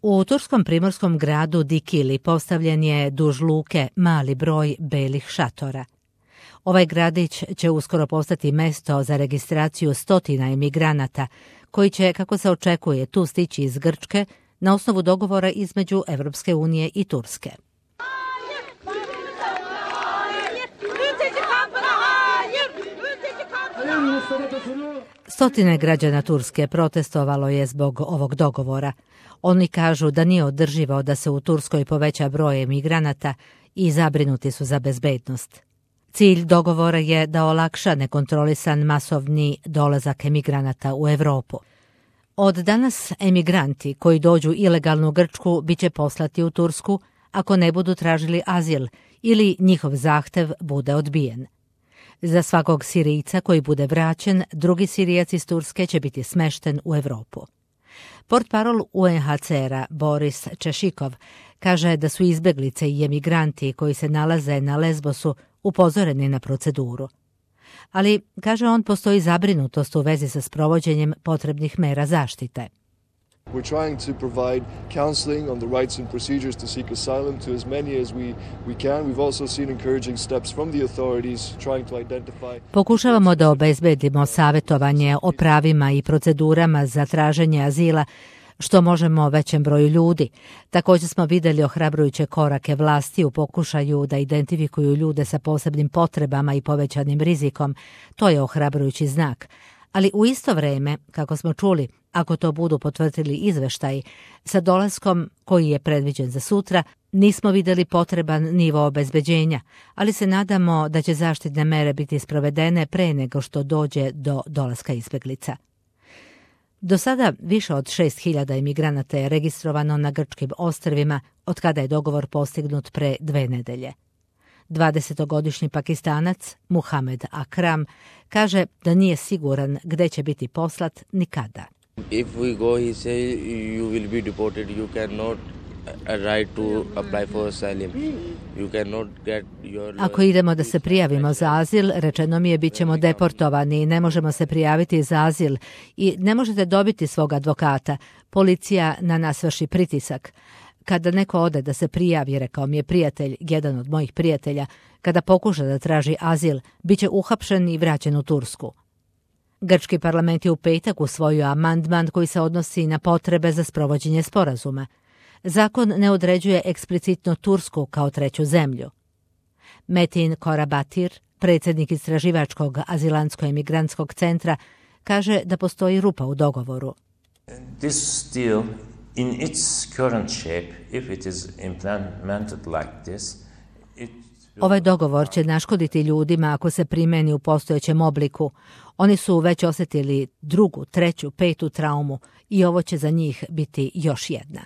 U turskom primorskom gradu Dikili postavljen je duž luke mali broj belih šatora. Ovaj gradić će uskoro postati mesto za registraciju stotina emigranata koji će, kako se očekuje, tu stići iz Grčke na osnovu dogovora između Evropske unije i Turske. Stotine građana Turske protestovalo je zbog ovog dogovora. Oni kažu da nije održivo da se u Turskoj poveća broj emigranata i zabrinuti su za bezbednost. Cilj dogovora je da olakša nekontrolisan masovni dolazak emigranata u Europu. Od danas emigranti koji dođu ilegalno u Grčku bit će poslati u Tursku ako ne budu tražili azil ili njihov zahtev bude odbijen. Za svakog Sirijca koji bude vraćen, drugi Sirijac iz Turske će biti smešten u Europu. Portparol UNHCR-a Boris Češikov kaže da su izbeglice i emigranti koji se nalaze na Lesbosu upozoreni na proceduru. Ali, kaže on, postoji zabrinutost u vezi sa sprovođenjem potrebnih mera zaštite. We're trying to provide counseling on the rights and procedures to seek asylum to as many as we can. We've also seen encouraging steps from the authorities trying to identify. Pokušavamo da obezbedimo savjetovanje o pravima i procedurama za traženje azila, što možemo većem broju ljudi. Također smo vidjeli ohrabrujuće korake vlasti u pokušaju da identifikuju ljude sa posebnim potrebama i povećanim rizikom. To je ohrabrujući znak. Ali u isto vrijeme, kako smo čuli, ako to budu potvrdili izveštaji, sa dolaskom koji je predviđen za sutra, nismo vidjeli potreban nivo obezbeđenja, ali se nadamo da će zaštitne mere biti sprovedene pre nego što dođe do dolaska izbjeglica. Do sada više od 6.000 emigranata je registrovano na grčkim ostrvima od kada je dogovor postignut pre 2 nedelje. 20-godišnji Pakistanac Muhamed Akram kaže da nije siguran gdje će biti poslat nikada. If we go, he say you will be deported. You cannot right to apply for asylum. You cannot get your. Ako idemo da se prijavimo za azil, rečeno mi je bit ćemo deportovani i ne možemo se prijaviti za azil i ne možete dobiti svog advokata. Policija na nas vrši pritisak. Kada neko ode da se prijavi, rekao mi je prijatelj, jedan od mojih prijatelja, kada pokuša da traži azil, bit će uhapšen i vraćen u Tursku. Grčki parlament je u petak usvojio amandman koji se odnosi na potrebe za sprovođenje sporazuma. Zakon ne određuje eksplicitno Tursku kao treću zemlju. Metin Korabatir, predsjednik istraživačkog azilantsko-emigrantskog centra, kaže da postoji rupa u dogovoru. This deal in its current shape, if it is implemented like this, Ovaj dogovor će naškoditi ljudima ako se primeni u postojećem obliku. Oni su već osjetili 2., 3., 5. traumu i ovo će za njih biti još jedna.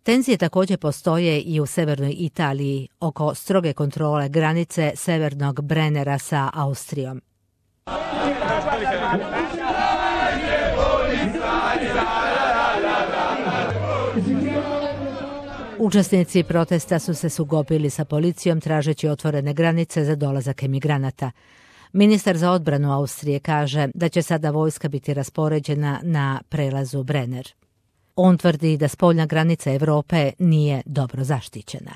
Tenzije također postoje i u severnoj Italiji oko stroge kontrole granice severnog Brennera sa Austrijom. Učesnici protesta su se sukobili sa policijom tražeći otvorene granice za dolazak emigranata. Ministar za odbranu Austrije kaže da će sada vojska biti raspoređena na prelazu Brenner. On tvrdi da spoljna granica Europe nije dobro zaštićena.